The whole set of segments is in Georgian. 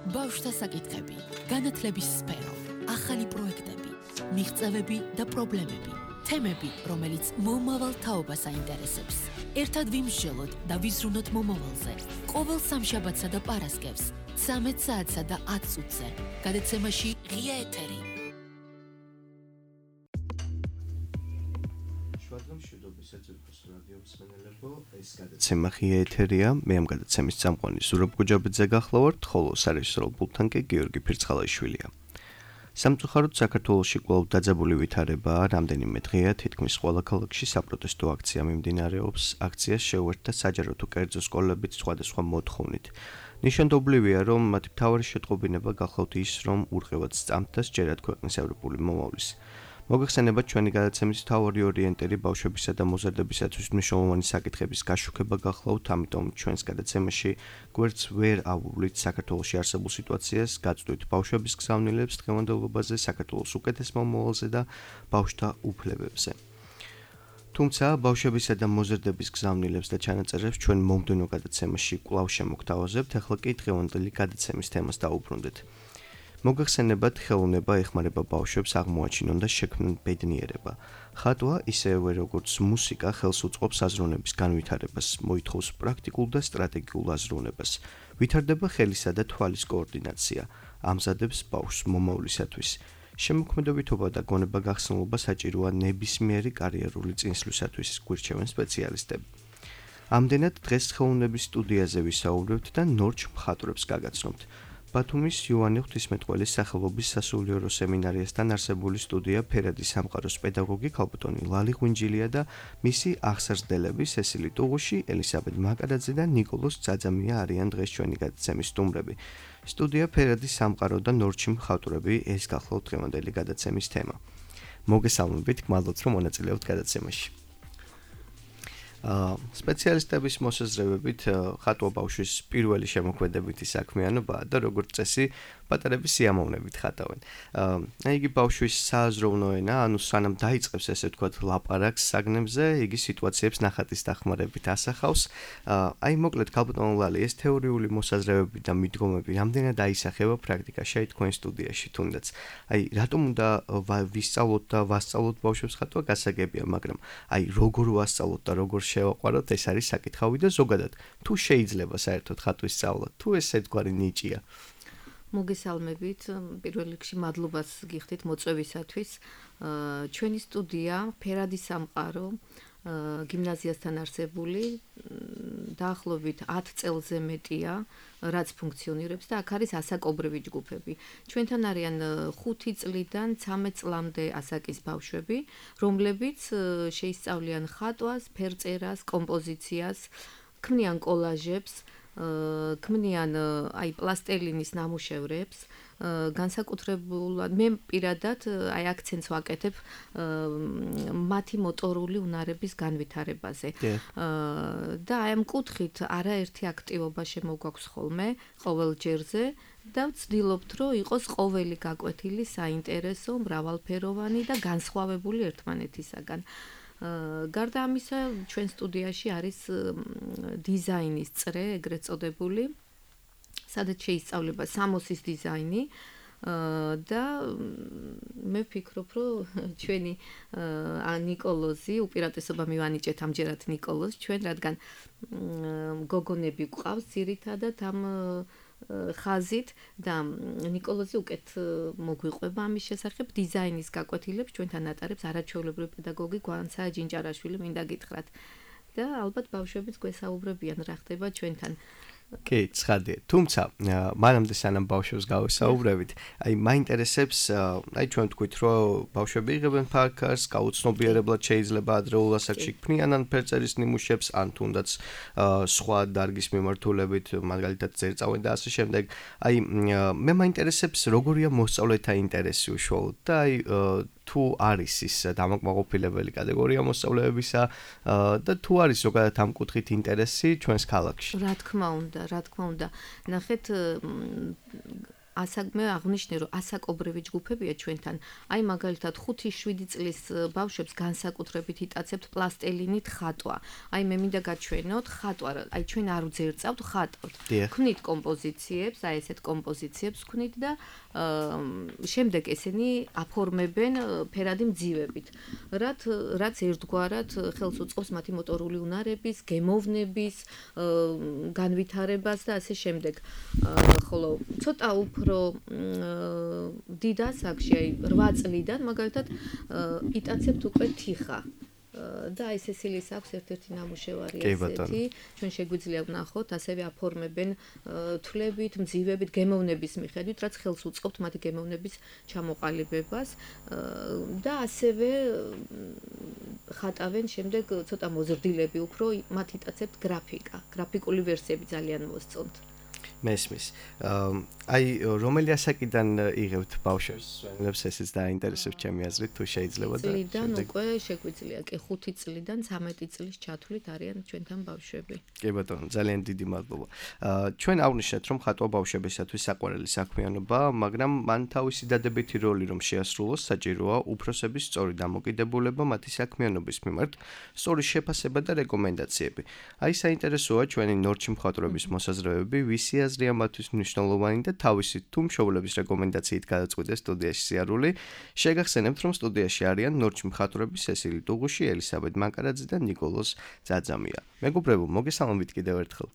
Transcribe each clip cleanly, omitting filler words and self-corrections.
ბავშვთა საკითხები, განათლების სფერო, ახალი პროექტები, მიღწევები და პრობლემები, თემები, რომელიც მომავალ თაობას აინტერესებს. ერთად ვიმსჯელოთ და ვიზრუნოთ მომავალზე. ყოველ სამშაბათსა და პარასკევს, 13 საათსა და 10 წუთზე. გადაცემაში ღია ეთერი. გადაცემა ღია ეთერია, მე ამ გადაცემის წამყვანი ზურაბ გუჯაბიძე გახლავართ, ხოლო სარეჟისორო პულტთან კი გიორგი ფირცხალაიშვილია. სამწუხაროდ საქართველოში კვლავ დაძაბული ვითარებაა, რამდენიმე დღეა თითქმის ყველა ქალაქში საპროტესტო აქცია მიმდინარეობს. აქციას შეუერთდა საჯარო თუ კერძო სკოლებიც სხვადასხვა მოთხოვნით. ნიშანდობლივია, რომ მათი მთავარი შეტყობინება გახლავთ ის, რომ ურყევად სწამთ და სჯერათ ქვეყნის ევროპული მომავლის. მოგეხსენებათ ჩვენი გადაცემის მთავარი ორიენტირი ბავშვებისა და მოზარდებისათვის მნიშვნელოვანი საკითხების გაშუქება გახლავთ, ამიტომ ჩვენს გადაცემაში გვერდს ვერ ავუვლით საქართველოში არსებულ სიტუაციას, გაწვდით ბავშვების გზავნილებს დღევანდელობაზე, საქართველოს უკეთეს მომავალზე და ბავშვთა უფლებებზე. თუმცა ბავშვებისა და მოზარდების გზავნილებს და ჩანაწერებს ჩვენ მომდევნო გადაცემაში კვლავ შემოგთავაზებთ, ახლა კი დღევანდელი გადაცემის თემას დაუბრუნდეთ. მოგეხსენებათ, ხელოვნება ეხმარება ბავშვებს აღმოაჩინონ და შექმნან ბედნიერება. ხატვა, ისევე როგორც მუსიკა, ხელს უწყობს აზროვნების განვითარებას, მოითხოვს პრაქტიკულ და სტრატეგიულ აზროვნებას. ვითარდება ხელისა და თვალის კოორდინაცია, ამზადებს ბავშვს მომავლისათვის. შემოქმედებითობა და გონება გახსნილობა საჭიროა ნებისმიერი კარიერული წინსვლისათვის, გვირჩევენ სპეციალისტები. ამდენად დღეს ხელოვნების სტუდიაზე ვისაუბრებთ და ნორჩ მხატვრებს გაგაცნობთ. ბათუმის იოანე ღვთისმეტყველის სახელობის სასულიერო სემინარიასთან არსებული სტუდია ფერადი სამყაროს პედაგოგი ქალბატონი ლალი ღვინჯილია და მისი აღსარსდელები სესილი ტუღუში, ელისაბედ მაკარაძე და ნიკოლოზ ძაძამია არიან დღეს ჩვენი გადაცემის სტუმრები. სტუდია ფერადი სამყარო და ნორჩი მხატვრები, ეს გახლავთ დღევანდელი გადაცემის თემა. მოგესალმებით, გმადლობთ რომ მონაწილეობთ გადაცემაში. სპეციალისტების მოსაზრებებით ხატვა ბავშვის პირველი შემოქმედებითი საქმიანობაა და როგორც წესი პატარების სიამოვნებით ხატავენ. იგი ბავშვის სააზროვნო ენა, ანუ სანამ დაიწყებს ესე ვთქვათ ლაპარაკს საგნებზე, იგი სიტუაციებს ნახატის დახმარებით ასახავს. მოკლედ ქალბატონ ლალი, ეს თეორიული მოსაზრებები და მიდგომები რამდენად აისახება პრაქტიკაში თქვენ სტუდიაში თუნდაც. რატომ უნდა ვისწავლოთ და ვასწავლოთ ბავშვებს ხატვა გასაგებია, მაგრამ როგორ ვასწავლოთ და როგორ შევაყვაროთ, ეს არის საკითხავი და ზოგადად, თუ შეიძლება საერთოდ ხატვის სწავლა, თუ ეს ერთგვარი ნიჭია. მოგესალმებით, პირველ რიგში მადლობას გიხდით მოწვევისათვის. ჩვენი სტუდია ფერადი სამყარო გიმნაზიასთან არსებული დაახლოებით 10 წელზე მეტია, რაც ფუნქციონირებს და აქ არის ასაკობრივი ჯგუფები. ჩვენთან არიან 5 წლიდან 13 წლამდე ასაკის ბავშვები, რომლებიც შეისწავლიან ხატვას, ფერწერას, კომპოზიციას, ქმნიან კოლაჟებს, ქმნიან პლასტელინის ნამუშევრებს, განსაკუთრებულად მე პირადად აქცენტს ვაკეთებ მათი მოტორული უნარების განვითარებაზე. და ამ კუთხით არაერთი აქტივობა შემოგვაქვს ხოლმე ყოველ ჯერზე და ვცდილობთ, რომ იყოს ყოველი გაკვეთილი საინტერესო, მრავალფეროვანი და განსხვავებული ერთმანეთისაგან. გარდა ამისა, ჩვენ სტუდიაში არის დიზაინის წრე, ეგრეთ წოდებული, სადაც შეისწავლება სამოსის დიზაინი და მე ვფიქრობ, რომ ჩვენი ნიკოლოზი, უპირატესობა მივანიჭეთ ამჯერად ნიკოლოზს, ჩვენ რადგან გოგონები გვყავს ძირითადად ამ ხაზით და ნიკოლოზი უკეთ მოგვიყვება ამის შესახებ დიზაინის გაკვეთილებს ჩვენთან ატარებს არაჩვეულებრივი პედაგოგი გვანცა ჯინჭარაშვილი, მინდა გითხრათ. და ალბათ ბავშვებიც გვესაუბრებიან რა ხდება ჩვენთან. კი, ცხადია. თუმცა, მანამდე სანამ ბავშვებს გავესაუბრებით, მაინტერესებს, ჩვენ ვთქვით, რომ ბავშვები იღებენ ფარქარს, გაუცნობიერებლად შეიძლება ადრეულ ასაკში ქმნიან ფერწერის ნიმუშებს, ან თუნდაც სხვა დარგის მიმართულებით, მაგალითად წერწავენ და ასე შემდეგ. მე მაინტერესებს, როგორია მოსწავლეთა ინტერესი უშუალოდ და თუ არის ის დამაკმაყოფილებელი კატეგორია მოსწავლეებისა და თუ არის ზოგადად ამ კუთხით ინტერესი ჩვენს ქალაქში. რა თქმა უნდა. ნახეთ, მე აღნიშნე რომ ასაკობრივი ჯგუფებია ჩვენთან. აი მაგალითად 5-7 წლის ბავშვებს განსაკუთრებით იტაცებთ პლასტელინით ხატვა. აი მე მინდა გაჩვენოთ ხატვა, აი ჩვენ არ ვძერწავთ, ხატავთ. ვქნით კომპოზიციებს, აი ესეთ კომპოზიციებს ვქნით და შემდეგ ესენი აფორმებენ ფერადი მძივებით. რაც ერთგვარად ხელს უწყობს მათი მოტორული უნარების, გემოვნების, განვითარებას და ასე შემდეგ. ხოლო ცოტა უფრო დიდ ასაკში, აი 8 წლიდან მაგალითად იტაცებთ უკვე თიხა. და აი სესილის აქვს ერთ-ერთი ნამუშევარი ასეთი. ჩვენ შეგვიძლია ვნახოთ, ასევე აფორმებენ თვლებით, მძივებით, გემოვნების მიხედვით, რაც ხელს უწყობთ მათი გემოვნების ჩამოყალიბებას და ასევე ხატავენ შემდეგ ცოტა მოზრდილები უფრო, მათ იტაცებთ გრაფიკა, გრაფიკული ვერსიები ძალიან მოსწონთ. მესმის. აი რომელი ასაკიდან იღებთ ბავშვებს? სვენელებს ესეც დაინტერესებს ჩემი აზრით, თუ შეიძლება და წლიდან უკვე შეგვიძლია კი 5 წლიდან 13 წლის ჩათვლით არიან ჩვენთან ბავშვები. კი ბატონო, ძალიან დიდი მადლობა. ჩვენ აღვნიშნეთ, რომ ხატვა ბავშვებისათვის საყვარელი საქმიანობაა, მაგრამ მან თავისი დადებითი როლი რომ შეასრულოს, საჭიროა უფროსების სწორი დამოკიდებულება მათი საქმიანობის მიმართ, სწორი შეფასება და რეკომენდაციები. აი საინტერესოა ჩვენი ნორჩი მხატვრების მოსაზრებები, ვისი აზრია მათთვის მნიშვნელოვანი და თავისი თუ მშობლების რეკომენდაციით გადაწყვიტეს სტუდიაში სიარული. შეგახსენებთ, რომ სტუდიაში არიან ნორჩი მხატვრები სესილი ტუღუში, ელისაბედ მაკარაძე და ნიკოლოზ ძაძამია. მეგობრებო, მოგესალმებით კიდევ ერთხელ.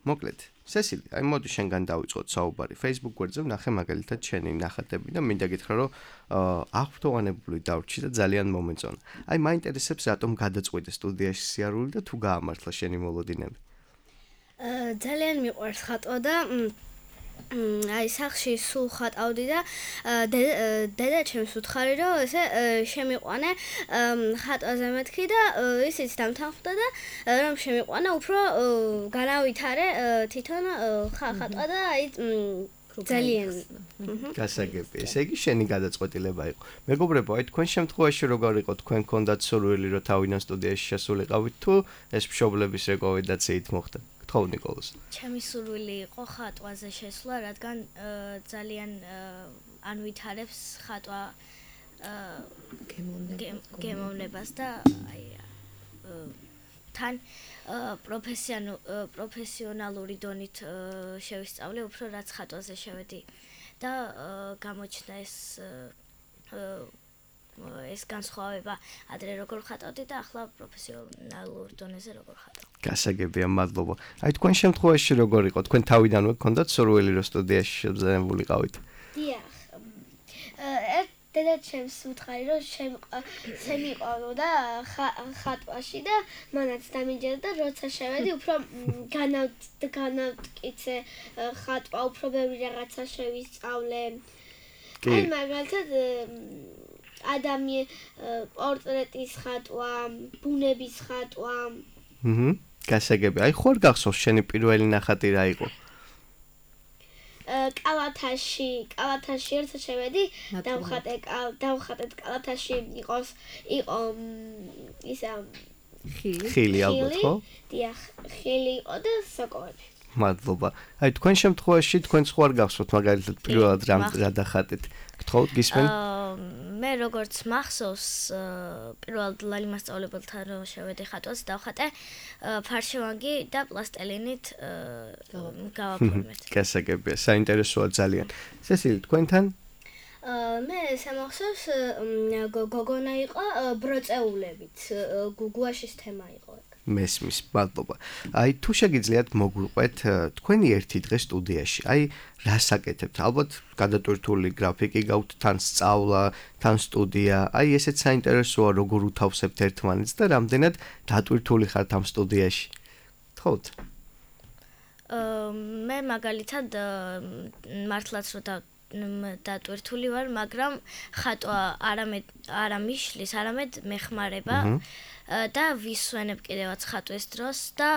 მოკლედ, სესილი, აი მოდი შენგან დავიწყოთ საუბარი. Facebook გვერდზე ვნახე მაგალითად შენი ნახატები და მინდა გითხრა, რომ აღფრთოვანებული დავრჩი და ძალიან მომეწონა. აი მაინტერესებს, რატომ გადაწყვიტე სტუდიაში სიარული და თუ გაამართლა შენი მოლოდინები? ძალიან მიყვარს ხატვა და აი სახში სულ ხატავდი და დედა ჩემს უთხარი რომ ესე შემიყვანე ხატვაზე მეთქი და ისიც დამთანხმდა და რომ შემიყვანა უფრო განავითარე თვითონ ხატვა და აი ძალიან გასაგები. ესე იგი შენი გადაწყვეტილება იყო. მეგობრებო, აი თქვენ შემთხვევაში როგორ იყო? თქვენ გქონდათ სურვილი რომ თავიდან სტუდიაში შესულიყავით თუ ეს მშობლების რეკომენდაციით მოხდა? გთხოვ ნიკოლოზ. ჩემი სურვილი იყო ხატვაზე შესვლა, რადგან ძალიან ანვითარებს ხატვა გემოვნებას და აი თან პროფესიონალური დონით შევისწავლე უფრო რაც ხატვაზე შევედი და გამოჩნდა ეს განსხვავება ადრე როგორ ხატავდი და ახლა პროფესიონალურ დონეზე როგორ ხატავ. გასაგებია, მადლობა. აი თქვენ შემთხვევაში როგორ იყო? თქვენ თავიდანვე გქონდათ სურვილი რომ სტუდიაში შეგზავნებულიყავით? დიახ. დედა ჩემს უთხარი რომ შემიყავო და ხატვაში და მანაც დამიჯერა და როცა შევედი უფრო განავტკიცე ხატვა, უფრო ბევრი რაღაცა შევისწავლე. აი მაგალითად პორტრეტის ხატვა, ბუნების ხატვა. გასაგები. აი ხوار გახსოვს შენი პირველი ნახატი რა იყო? კალათაში ერთად შევედი, დავხატეთ კალათაში იყო ისა ხილი ალბათ, ხო? დიახ, ხილი იყო და სოკოები. მადლობა. აი თქვენ შემთხვევაში თქვენ ხوار გახსოვთ მაგალითად პირველად რა დახატეთ? გთხოვთ გისმენ? მე როგორც მახსოვს პირველად ლალი მასწავლებელთან რომ შევედი ხატვას დავხატე ფარშევანგი და პლასტელინით გავაფორმეთ. გასაგებია, საინტერესოა ძალიან. სესილი, თქვენთან? მე სამახსოვს გოგონა იყო ბროწეულებით, გუგუაშის თემა იყო ეგ. მესმის, მადლობა. აი თუ შეგიძლიათ მოგვიყვეთ თქვენი ერთი დღე სტუდიაში. აი რას აკეთებთ? ალბათ გადატვირთული გრაფიკი გაქვთ, თან სწავლა, თან სტუდია. აი ესეც საინტერესოა, როგორ უთავსებთ ერთმანეთს და რამდენად დატვირთული ხართ ამ სტუდიაში. თხოვთ. მე მაგალითად მართლაც რომ დატვირთული ვარ, მაგრამ ხატვა არა მიშლის, არამედ მეხმარება. და ვისვენებ კიდევაც ხატვის დროს და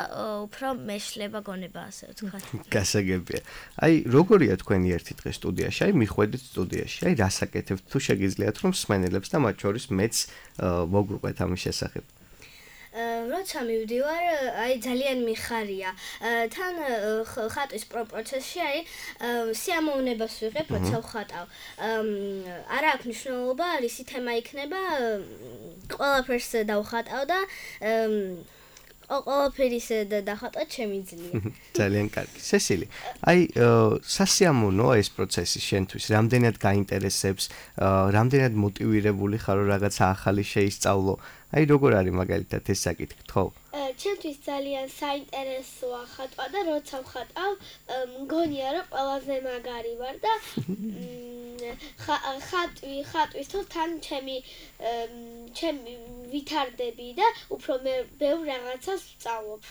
უფრო მეშლება გონება ასე ვთქვათ. გასაგებია. აი როგორია თქვენი ერთი დღე სტუდიაში? აი მიხვედით სტუდიაში. აი რას აკეთებთ? თუ შეგიძლიათ რომ მსმენელებს და მათ შორის მეც მოგვიყვეთ ამის შესახებ. როცა მივდივარ, აი ძალიან მიხარია. თან ხატვის პროცესში არის სიამოვნებას ვიღებ, როცა ვხატავ. არ აქვს მნიშვნელობა, რისი თემა იქნება, ყველაფერს დავხატავ და ყველაფერის დახატვა შემიძლია. ძალიან კარგი. სესილი, აი სასიამოვნოა ეს პროცესი შენთვის, რამდენად გაინტერესებს, რამდენად მოტივირებული ხარ რომ რაღაცა ახალი შეისწავლო. აი როგორ არის მაგალითად ეს საკითხი, ხო? ჩემთვის ძალიან საინტერესოა ხატვა და როცა ვხატავ, მგონია რომ ყველაზე მაგარი ვარ და ხატვისთო თან ჩემი ვითარდები და უფრო ბევრ რაღაცას ვწავლობ.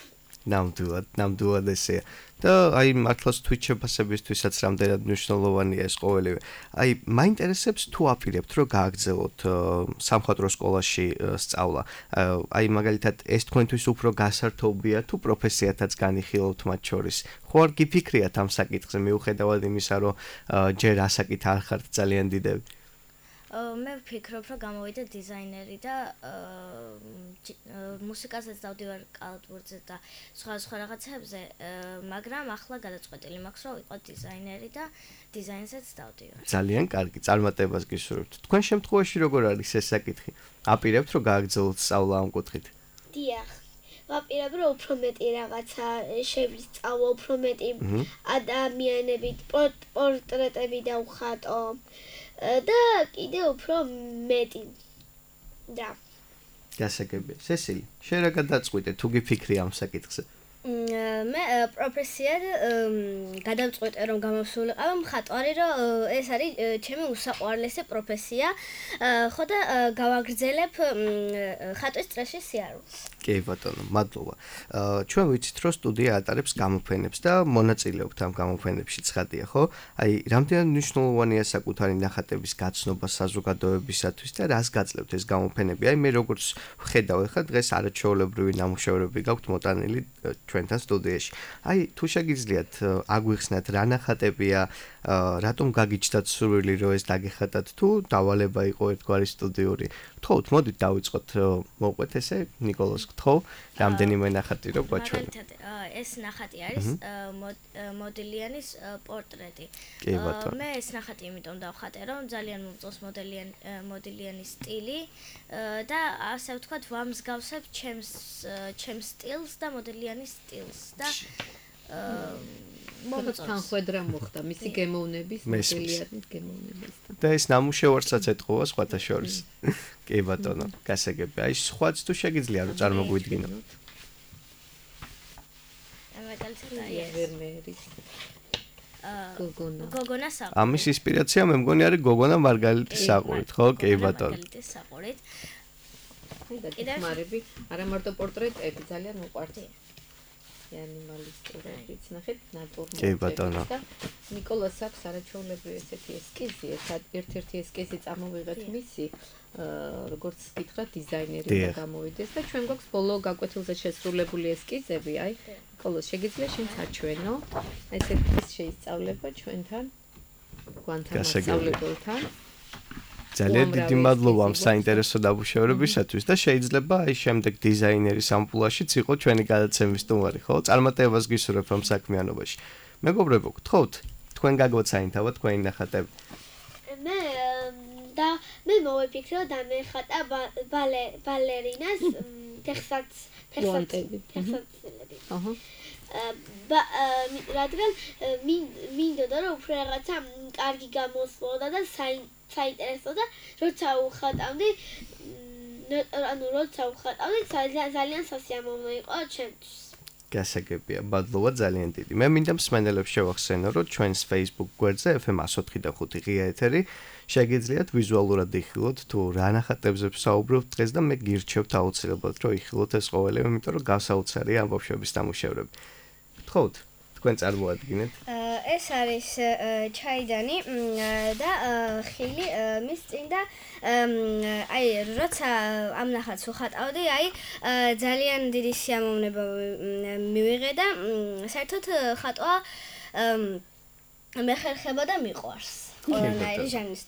ნამდვილად ესეა. და აი მართლაც Twitch შეფასებისთვისაც რამდენად მნიშვნელოვანია ეს ყოველივე. აი მაინტერესებს თუ აპირებთ რომ გააგრძელოთ სამხატვრო სკოლაში სწავლა. აი მაგალითად ეს თქვენთვის უფრო გასართობია თუ პროფესიათაც განიხილავთ მათ შორის. ხო არ გიფიქრიათ ამ საკითხზე მიუხედავად იმისა რომ ჯერ ასაკით არ ხართ ძალიან დიდები. მე ვფიქრობ, რომ გამოვიდა დიზაინერი და მუსიკასაც დავდივარ კალათბურთზე და სხვა რაღაცებზე, მაგრამ ახლა გადაწყვეტილი მაქვს, რომ ვიყო დიზაინერი და დიზაინსაც დავდივარ. ძალიან კარგი, წარმატებას გისურვებთ. თქვენ შემთხვევაში როგორ არის ეს საკითხი? აპირებთ რომ გააგრძელოთ სწავლა ამ კუთხით? დიახ. ვაპირებ რომ უფრო მეტი რაღაცა შევისწავლო, უფრო მეტი ადამიანებით პორტრეტები დავხატო. და კიდე უფრო მეტი და გასაგებია. სესილი, შენ რა გადაწყვიტე თუ გიფიქრი ამ საკითხზე? მე პროფესიად გადავწყვეტე რომ გამოსულიყავ მხატვარი, რომ ეს არის ჩემი უსაყვარლესი პროფესია, ხო და გავაგრძელებ ხატვის წრეში სიარულს. კი ბატონო, მადლობა. ჩვენ ვიცით რომ სტუდია ატარებს გამოფენებს და მონაწილეობთ ამ გამოფენებში ცხადია, ხო? აი, რამდენად მნიშვნელოვანია საკუთარი ნახატების გაცნობა საზოგადოებისათვის და რას გაძლევთ ეს გამოფენები? აი, მე როგორც ვხედავ, ხა დღეს არაჩვეულებრივი ნამუშევრები გაქვთ მოტანილი ჩვენთან სტუდიაში. აი, თუ შეგიძლიათ აგვიხსნათ რა ნახატებია, რატომ გაგიჩნდათ სურვილი რომ ეს დაგეხატათ თუ დავალება იყო ერთგვარი სტუდიური. გთხოვთ, მოდით დავიწყოთ, მოყვეთ ესე ნიკოლოზ, გთხოვ, რამდენიმე ნახატი რო გვაჩვენო. მაგალითად, ეს ნახატი არის მოდელიანის პორტრეტი. მე ეს ნახატი იმიტომ დავხატე, რომ ძალიან მომწონს მოდელიანის სტილი და ასე ვთქვათ, ვამსგავსებ ჩემს სტილს და მოდელიანის სტილს და თანხვედრა მოხდა მისი გემოვნების, მოდელიანის გემოვნების. და ეს ნამუშევარსაც ეთყობა სხვათა შორის. კი ბატონო, გასაგებია. აი სხვაც თუ შეგიძლია რომ წარმოგვიდგინო. მაგალითად ვერმერის გოგონა საყურით. ამის ინსპირაცია მე მგონი არის გოგონა მარგალიტის საყურით, ხო? კი ბატონო. მარგალიტის საყურით. კიდე ხმარები, არა მარტო პორტრეტები, ძალიან მოყვართ. ანიმალისტურებიც ნახეთ ნატურმორტები და ნიკოლას აქვს არაჩვეულებრივი ესეთი ესკიზი, ერთ-ერთი ესკიზი წამოვიღეთ მისი, როგორც გითხრათ დიზაინერი და გამოვიდეს და ჩვენ გვაქვს ბოლო გაკვეთილზე შესრულებული ესკიზები, აი ნიკოლას შეგიძლია შენ საჩვენო, ესეთი ის შეისწავლება ჩვენთან გვანთან მასწავლებელთან. ძალიან დიდი მადლობა ამ საინტერესო ნამუშევრებისათვის და შეიძლება აი შემდეგ დიზაინერის ამპულაშიც იყო ჩვენი გადაცემის სტუმარი, ხო? წარმატებას გისურვებ ამ საქმიანობაში. მეგობრებო, გთხოვთ, თქვენ გაგოცაინთავოთ თქვენი ნახატები. მე მოვიფიქრო და მე ხატა ბალერინას ფეხსაცმელები. აჰა. რადგან მინდოდა რომ უფრო რაღაცა კარგი გამოსვლოდა და საინტერესო და როცა ვხატავდი ძალიან სასიამოვნო იყო ჩემთვის. გასაგებია, მადლობა ძალიან დიდი. მე მინდა მსმენელებს შევახსენო, რომ ჩვენს Facebook გვერდზე FM 104.5 ღია ეთერი შეგიძლიათ ვიზუალურად იხილოთ თუ რა ნახატებზე ვსაუბრობთ დღეს და მე გირჩევთ აუცილებლად რომ იხილოთ ეს ყოველივე, იმიტომ რომ გასაოცარია ამ ბავშვების ნამუშევრები. გთხოვთ, თქვენ წარმოადგინეთ. ეს არის ჩაიდანი და ხილი მის წინ და აი როცა ამ ნახატს ვხატავდი, აი ძალიან დიდი სიამოვნება მივიღე და საერთოდ ხატვა მეხერხება და მიყვარს. ყველანაირი ჟანრის.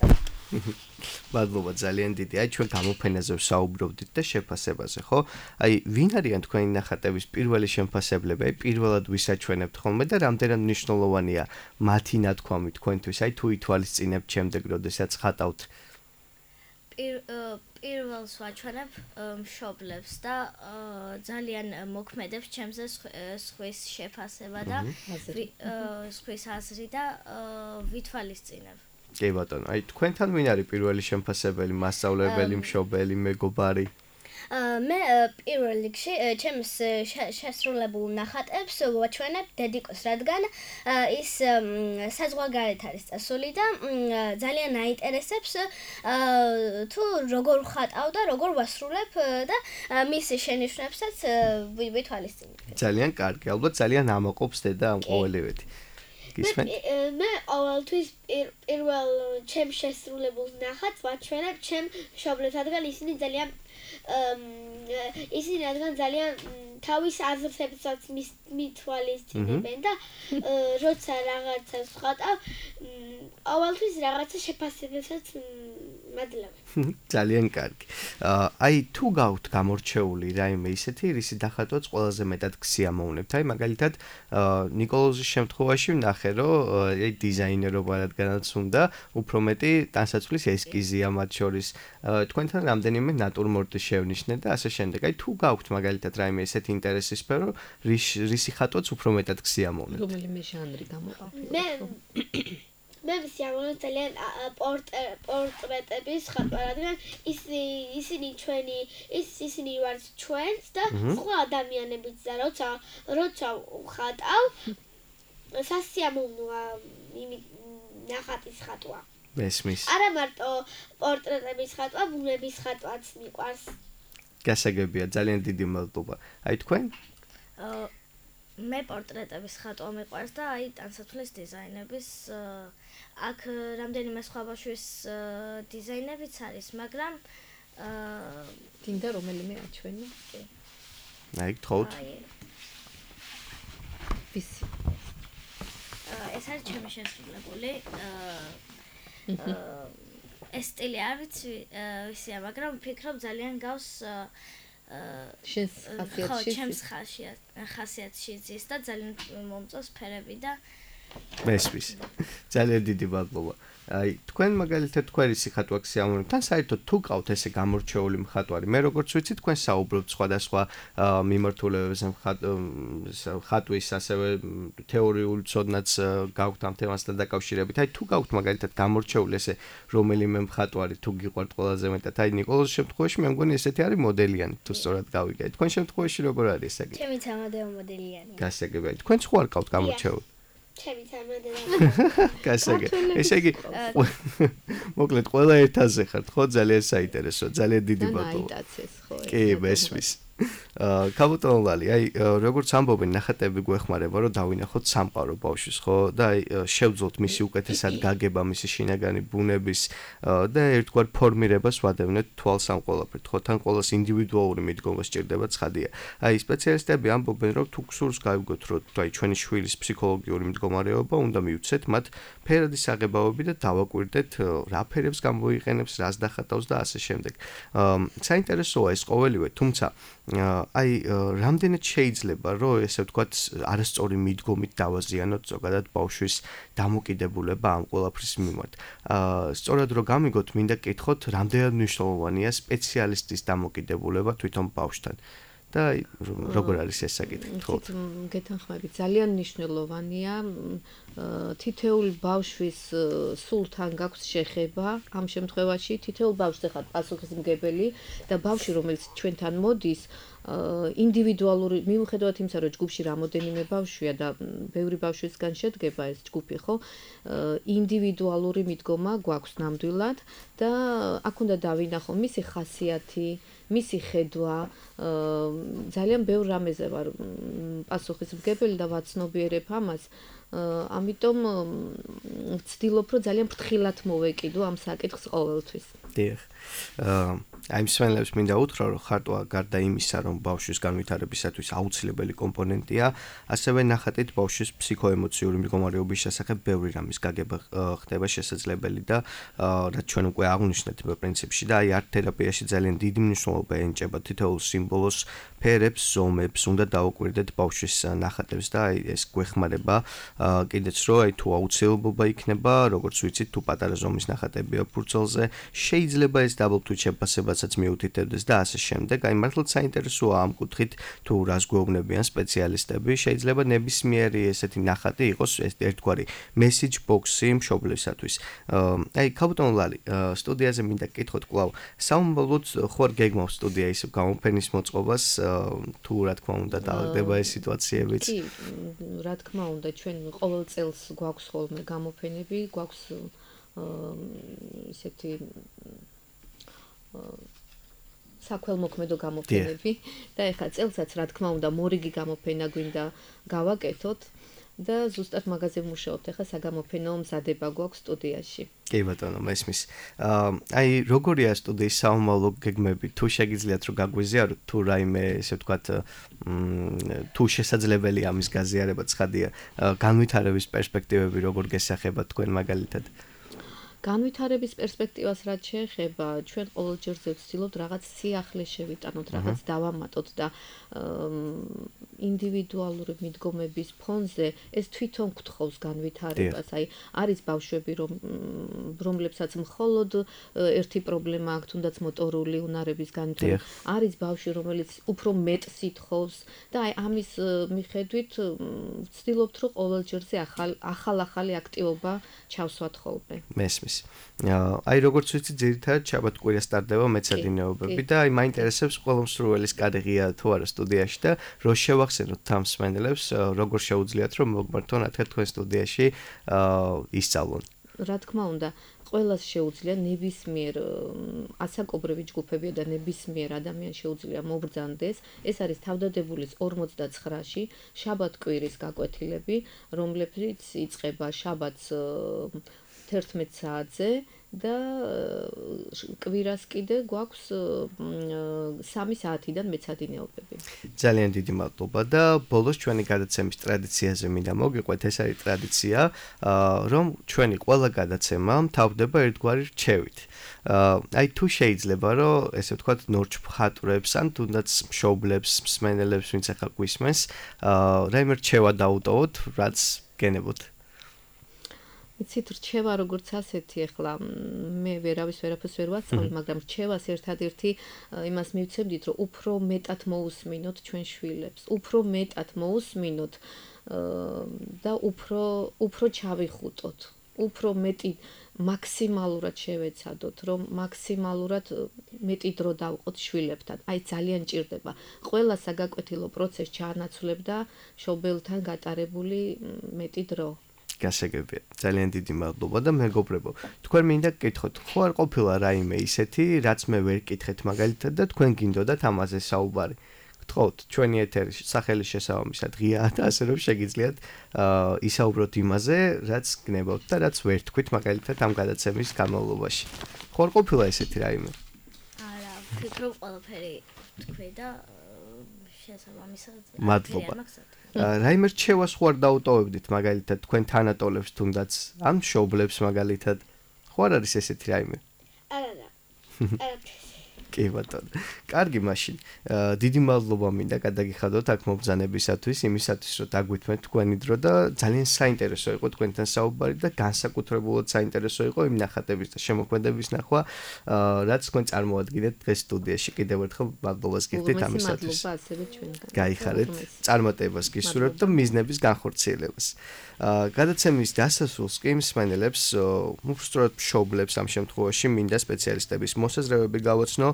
მადლობა ძალიან დიდი. აი ჩვენ გამოფენაზე ვსაუბრობდით და შეფასებაზე, ხო? აი ვინ არიან თქვენი ნახატების პირველი შემფასებლები? აი პირველად ვისაჩვენებთ ხოლმე და რამდენად მნიშვნელოვანია მათი ნათქვამი თქვენთვის? აი თუ ითვალისწინებთ შემდეგ, როდესაც ხატავთ პირველს ვაჩვენებ მშობლებს და ძალიან მოქმედებს ჩემზე სხვის შეფასება და სხვის აზრი და ვითვალისწინებ. კი ბატონო, აი თქვენთან ვინ არის პირველი შემფასებელი, მასწავლებელი, მშობელი, მეგობარი? მე პირველ რიგში ჩემს შესრულებულ ნახატებს ვაჩვენებ დედიკოს, რადგან ის საზღვარგარეთ არის წასული და ძალიან აინტერესებს თუ როგორ ვხატავ და როგორ ვასრულებ და მის შენიშვნებსაც ვითვალისწინებ. ძალიან კარგი, ალბათ ძალიან ამაყობს დედა ამ ყოველივეთი. მე ყოველთვის პირველ ჩემ შესრულებულ ნახატს ვაჩვენებ ჩემ მშობლებს, რადგან ისინი ძალიან თავის აზრებსაც მითვალისწინებენ და როცა რაღაცას ვხატავ, ყოველთვის რაღაცა შეფასებასაც მადლობენ. ძალიან კარგი. აი თუ გავთ გამორჩეული რაიმე ისეთი, რისი დახატვაც ყველაზე მეტად გსიამოვნებთ. აი მაგალითად ნიკოლოზის შემთხვევაში ვნახე, რომ აი დიზაინერობა რადგანაც უნდა, უფრო მეტი ტანსაცმლის ესკიზია მათ შორის. თქვენთან რამდენიმე ნატურმორტი შევნიშნე და ასე შემდეგ. აი თუ გავთ მაგალითად რაიმე ისეთი ინტერესის სფერო, რისი ხატვაც უფრო მეტად გსიამოვნებთ. რომელიმე ჟანრი გამოყავთ? მე ვსიამოვნებ ძალიან პორტრეტების ხატვა, რადგან ისინი ვართ ჩვენც და სხვა ადამიანებიც და როცა ვხატავ, სასიამოვნოა ნახატის ხატვა. მესმის. არა მარტო პორტრეტების ხატვა, ბუნების ხატვაც მიყვარს. გასაგებია, ძალიან დიდი მადლობა. აი თქვენ? მე პორტრეტების ხატვა მიყვარს და აი ტანსაცმლის დიზაინების აქ რამდენიმე სხვა ბავშვის დიზაინებიც არის, მაგრამ გინდა რომელიმე აჩვენო? კი. აი გთხოვთ. ვისი? ეს არის ჩემი შესრულებული. ეს სტილი არ ვიცი ვისია, მაგრამ ვფიქრობ ძალიან გავს შენს ხასიათში. ჩემს ხასიათში ზის და ძალიან მომწონს ფერები და მესმის. ძალიან დიდი მადლობა. აი თქვენ მაგალითად თქვენი სიხატვა გსიამოვნებთ, თან საერთოდ თუ ყავთ ესე გამორჩეული მხატვარი, მე როგორც ვიცი თქვენ საუბრობთ სხვადასხვა მიმართულებებზე ხატვის, ასევე თეორიულ ცოდნაც გაქვთ ამ თემასთან დაკავშირებით. აი თუ გაქვთ მაგალითად გამორჩეული ესე რომელიმე მხატვარი თუ გიყვართ ყველაზე მეტად, აი ნიკოლოზის შემთხვევაში მე მგონი ესეთი არის მოდელიანი, თუ სწორად გავიგე. თქვენ შემთხვევაში როგორ არის ეს საკითხი? ჩემიც ამადეო მოდელიანი. გასაგებია. თქვენ სხვა არ ყავთ გამორჩეული? ჩემიც ამადეო. გასაგებია. ესე იგი მოკლედ ყველა ერთაზე ხართ, ხო? ძალიან საინტერესოა, ძალიან დიდი მადლობა. კი, მესმის. კაბუტონ ლალი, აი როგორც ამბობენ, ნახატები გვეხმარება, რომ დავინახოთ სამყარო ბავშვის, ხო? და აი შევძლოთ მისი უკეთესად გაგება, მისი შინაგანი ბუნების და ერთგვარ ფორმირებას ვადევნეთ თვალს ამ ყველაფერთ, ხო? თან ყოველს ინდივიდუალური მიდგომა სჭირდება, ცხადია. აი სპეციალისტები ამბობენ, რომ თუ გსურს გავიგოთ, რომ აი ჩვენი შვილის ფსიქოლოგიური მდგომარეობა უნდა მივცეთ მათ ფერადი საღებავები და დავაკვირდეთ რა ფერებს გამოიყენებს, რას დახატავს და ასე შემდეგ. საინტერესოა ეს ყოველივე, თუმცა აი რამდენად შეიძლება რომ ესე ვთქვათ არასწორი მიდგომით დავაზიანოთ ზოგადად ბავშვის დამოკიდებულება ამ ყველაფრის მიმართ. სწორად რომ გამიგოთ, მინდა გკითხოთ, რამდენად მნიშვნელოვანია სპეციალისტის დამოკიდებულება თვითონ ბავშვთან. და როგორ არის ეს საკითხი? გეთანხმებით, ძალიან მნიშვნელოვანია. თითოეული ბავშვის სულთან გაქვს შეხება. ამ შემთხვევაში თითოეულ ბავშვს ხარ პასუხისმგებელი და ბავშვი, რომელიც ჩვენთან მოდის, ინდივიდუალური მიუხედავად იმისა, რომ ჯგუფში რამოდენიმე ბავშვია და ბევრი ბავშვისგან შედგება ეს ჯგუფი, ხო? ინდივიდუალური მიდგომა გვაქვს ნამდვილად და აქ უნდა დავინახო მისი ხასიათი, მისი ხედვა, ძალიან ბევრ რამეზე ვარ პასუხისმგებელი და ვაცნობიერებ ამას. ამიტომ ვცდილობ, რომ ძალიან ფრთხილად მოვეკიდო ამ საკითხს ყოველთვის. დიახ. აი მსმენელებს მინდა უთხრა, რომ ხატვა გარდა იმისა, რომ ბავშვის განვითარებისათვის აუცილებელი კომპონენტია, ასევე ნახატით ბავშვის ფსიქოემოციური მდგომარეობის შესახებ ბევრი რამის გაგება ხდება შესაძლებელი და რაც ჩვენ უკვე აღვნიშნეთ პრინციპში და აი არტ თერაპიაში ძალიან დიდი მნიშვნელობა ენიჭება თითოეულ სიმბოლოს, ფერებს, ზომებს, უნდა დაუკვირდეთ ბავშვის ნახატებს და აი ეს გვეხმარება კიდეც რომ აი თუ აუცილებლობა იქნება, როგორც ვიცით, თუ პატარა ზომის ნახატებია ფურცელზე, შეიძლება ეს დაბლტვით შეფასებასაც მიუთითებდეს და ასე შემდეგ. აი მართლაც საინტერესოა ამ კუთხით, თუ რას გვეუბნებიან სპეციალისტები, შეიძლება ნებისმიერი ესეთი ნახატი იყოს ერთგვარი message box-ი მშობლისათვის. აი ქალბატონ ლალი, სტუდიაზე მინდა გკითხოთ კვლავ, საუბრობთ ხوار გეგმავს სტუდია ისევ გამოფენის მოწყობას, თუ რა თქმა უნდა დაალაგდება ეს სიტუაციებიც. კი, რა თქმა უნდა, ჩვენ ყოველ წელს გვაქვს ხოლმე გამოფენები, გვაქვს ისეთი საქველმოქმედო გამოფენები და ეხლა წელსაც რა თქმა უნდა მორიგი გამოფენა გვინდა გავაკეთოთ და ზუსტად მაგაზე ვმუშაობთ. ეხლა საგამოფენო მზადება გვაქვს სტუდიაში. კი ბატონო, მესმის. აი როგორია სტუდიის საომალო გეგმები? თუ შეგიძლიათ რომ გაგვიზიაროთ, თუ რაიმე ესე ვთქვათ, თუ შესაძლებელი ამის გაზიარება ცხადია, განვითარების პერსპექტივები როგორ გესახება თქვენ მაგალითად? განვითარების პერსპექტივას რაც შეეხება, ჩვენ ყოველჯერზე ვცდილობთ რაღაც სიახლე შევიტანოთ, რაღაც დავამატოთ და ინდივიდუალური მიდგომების ფონზე ეს თვითონ გთხოვს განვითარებას. აი, არის ბავშვები, რომლებსაც მხოლოდ ერთი პრობლემა აქვს, თუნდაც მოტორული უნარების განვითარება. არის ბავშვი, რომელიც უფრო მეტს ითხოვს და აი ამის მიხედვით ვცდილობთ, რომ ყოველჯერზე ახალი აქტივობა ჩავსვათ ხოლმე. მესმის. აი როგორც ვიცი, ძირითადად შაბათ კვირას სტარტდება მეცადინეობები და აი მაინტერესებს ყველა მსურველის კარიერა თუ არა სტუდიაში და რო შევახსენოთ თამსმენელებს, როგორ შეუძლიათ რომ მოგმართონ თქვენ სტუდიაში ისწავლონ. რა თქმა უნდა, ყველას შეუძლია ნებისმიერ ასაკობრივი ჯგუფები და ნებისმიერ ადამიანს შეუძლია მობრძანდეს. ეს არის თავდადებულის 49-ში შაბათ-კვირის გაკვეთილები, რომლებიც იწყება შაბათს 11 საათზე და კვირას კიდე გვაქვს 3 საათიდან მეცადინეობები. ძალიან დიდი მადლობა და ბოლოს ჩვენი გადაცემის ტრადიციაზე მინდა მოგიყვეთ, ეს არის ტრადიცია, რომ ჩვენი ყველა გადაცემა მთავრდება ერთგვარი რჩევით. აი თუ შეიძლება რომ ესე ვთქვათ ნორჩ მხატვრებს ან თუნდაც მშობლებს, მსმენელებს, ვინც ახლა გვისმენს, რაიმე რჩევა დაუტოვოთ, რაც გენებოთ. იცით, რჩევა როგორც ასეთი, ახლა მე ვერაფერს ვერ ვასწავლი, მაგრამ რჩევას ერთადერთი იმას მივცემდით, რომ უფრო მეტად მოусმინოთ ჩვენ შვილებს, უფრო მეტად მოусმინოთ და უფრო ჩავიხუტოთ, უფრო მეტი მაქსიმალურად შევეცადოთ, რომ მაქსიმალურად მეტი დრო დავყოთ შვილებთან. აი ძალიან ჭირდება. ყველა საგაკვეთილო პროცესს ჩაანაცვლებდა მშობელთან გატარებული მეტი დრო. გასაგებია. ძალიან დიდი მადლობა და მეგობრებო. თქვენ მინდა გკითხოთ, ხო არ ყოფილა რაიმე ისეთი, რაც მე ვერ გკითხეთ მაგალითად და თქვენ გინდოდათ ამაზე საუბარი. გთხოვთ, ჩვენი ეთერი სახელის შესაბამისად ღიაა და ასე რომ შეგიძლიათ ისაუბროთ იმაზე, რაც გნებავთ და რაც ვერ თქვით მაგალითად ამ გადაცემის განმავლობაში. ხო არ ყოფილა ესეთი რაიმე? არა, ვფიქრობ ყველაფერი თქვი და შესაბამისად მადლობა. რაიმე რჩევას ხო არ დაუტოვებდით მაგალითად თქვენ თანატოლებს თუნდაც ან მშობლებს მაგალითად? ხო არ არის ესეთი რაიმე? არა. კი ბატონო. კარგი მაშინ. დიდი მადლობა მინდა გადაგიხადოთ აქ მობრძანებისათვის, იმისათვის რომ დაგვითმეთ თქვენი დრო და ძალიან საინტერესო იყო თქვენთან საუბარი და განსაკუთრებულად საინტერესო იყო იმ ნახატების და შემოქმედების ნახვა, რაც თქვენ წარმოადგენთ დღეს სტუდიაში. კიდევ ერთხელ მადლობას გიხდით ამისათვის. მადლობა ასევე ჩვენგან. გაიხარეთ, წარმატებას გისურვებთ და მიზნების განხორციელებას. გადაცემის დასასრულს კი მსმენელებს, უბრალოდ მშობლებს ამ შემთხვევაში მინდა სპეციალისტების მოსაზრებები გავაცნო.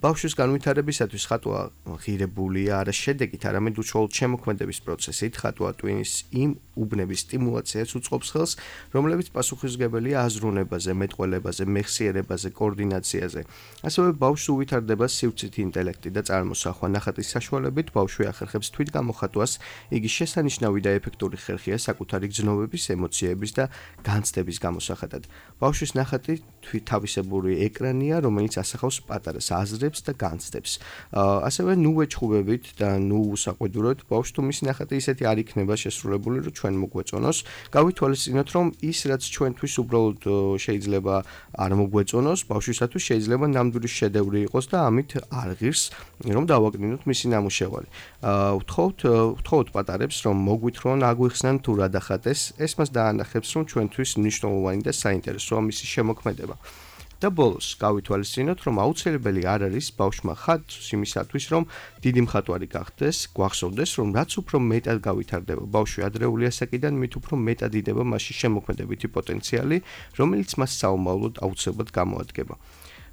ბავშვის განვითარებისათვის ხატვა ღირებულია არა შედეგით, არამედ უშუალოდ შემოქმედების პროცესით. ხატვა ტვინის იმ უბნების სტიმულაციას უწყობს ხელს, რომლებიც პასუხისმგებელია აზროვნებაზე, მეტყველებაზე, მეხსიერებაზე, კოორდინაციაზე. ასევე ბავშვს უვითარდება სივრცითი ინტელექტი და წარმოსახვა. ნახატის საშუალებით ბავშვი ახერხებს თვითგამოხატვას, იგი შესანიშნავი და ეფექტური ხერხია საკუთარი გრძნობების, ემოციების და განცდების გამოსახატად. ბავშვის ნახატი თავისებური ეკრანია, რომელიც ასახავს პატარას აზრებს და განცდებს. ასევე ნუ ვეჩხუბებით და ნუ უსაყვედუროთ, ბავშვს თუ მისი ნახატი ისეთი არ იქნება შესრულებული, რომ ჩვენ მოგვეწონოს. გავითვალისწინოთ, რომ ის რაც ჩვენთვის უბრალოდ შეიძლება არ მოგვეწონოს, ბავშვისათვის შეიძლება ნამდვილი შედევრი იყოს და ამით არ ღირს, რომ დავაკნინოთ მისი ნამუშევარი. ვთხოვთ პატარებს, რომ მოგვითხრონ, აგვიხსნან თუ რა დახატეს, ეს მას დაანახებს, რომ ჩვენთვის მნიშვნელოვანი და საინტერესოა მისი შემოქმედება. და ბოლოს გავითვალისწინოთ, რომ აუცილებელი არ არის ბავშვმა ხატს იმისათვის, რომ დიდი მხატვარი გახდეს, გვახსოვდეს, რომ რაც უფრო მეტად გავითარდება ბავშვი ადრეული ასაკიდან, მით უფრო მეტად იდება მასში შემოქმედებითი პოტენციალი, რომელიც მას საომავლოდ აუცილებლად გამოადგება.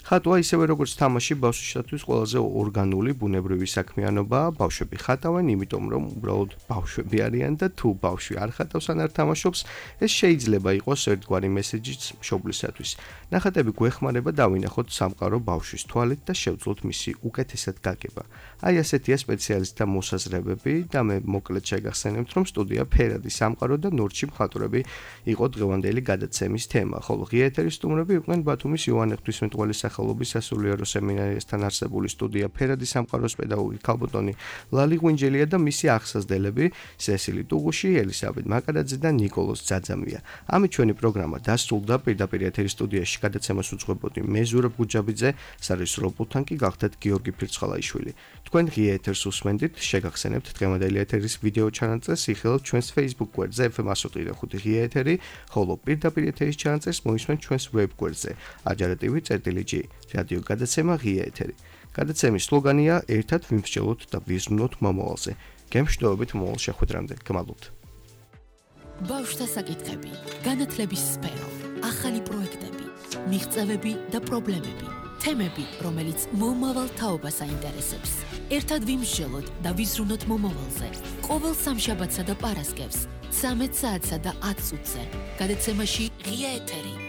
ხატვა ისევე როგორც თამაში ბავშვისათვის ყველაზე ორგანული ბუნებრივი საქმიანობაა. ბავშვები ხატავენ, იმიტომ რომ უბრალოდ ბავშვები არიან და თუ ბავშვი არ ხატავს ან არ თამაშობს, ეს შეიძლება იყოს ერთგვარი მესეჯიც მშობლისათვის. ნახატები გვეხმარება დავინახოთ სამყარო ბავშვის თვალით და შევძლოთ მისი უკეთესად გაგება. აი ასეთია სპეციალისტთა მოსაზრებები და მე მოკლედ შეგახსენებთ, რომ სტუდია ფერადი სამყარო და ნორჩი მხატვრები იყო დღევანდელი გადაცემის თემა, ხოლო ღია ეთერის სტუმრები იყვნენ ბათუმის იოანე ღვთისმეტყველის სახელობის სასულიერო სემინარიასთან არსებული სტუდია ფერადი სამყაროს პედაგოგი ქალბატონი ლალი ღვინჯელია და მისი აღსაზრდელები სესილი ტუღუში, ელისაბედ მაკარაძე და ნიკოლოზ ძაძამია. ამით ჩვენი პროგრამა დასრულდა. პირდაპირ ეთერის სტუდიაში გადაცემას უძღვებოდი მე ზურაბ გუჯაბიძე, სარესურო პულტთან კი გახდათ გიორგი ფირცხალაიშვილი. თქვენ ღია ეთერს უსმენდით, შეგახსენებთ დღევანდელი ეთერის ვიდეო ჩანაწერს იხილავთ ჩვენს Facebook გვერდზე FM105 ღია ეთერი, ხოლო პირდაპირ ეთერის ჩანაწერს მოისმენთ ჩვენს ვებ გვერდზე ajaratv.g რადიო გადაცემა ღია ეთერი. გადაცემის სლოგანია ერთად ვიმსჯელოთ და ვიზრუნოთ მომავალზე. გემშვიდობებით მომავალ შეხვედრამდე. გმადლობთ. ბავშვთა საკითხები, განათლების სფერო, ახალი პროექტები, მიღწევები და პრობლემები, თემები, რომელიც მომავალ თაობას აინტერესებს. ერთად ვიმსჯელოთ და ვიზრუნოთ მომავალზე. ყოველ სამშაბათსა და პარასკევს 13 საათსა და 10 წუთზე. გადაცემაში ღია ეთერი.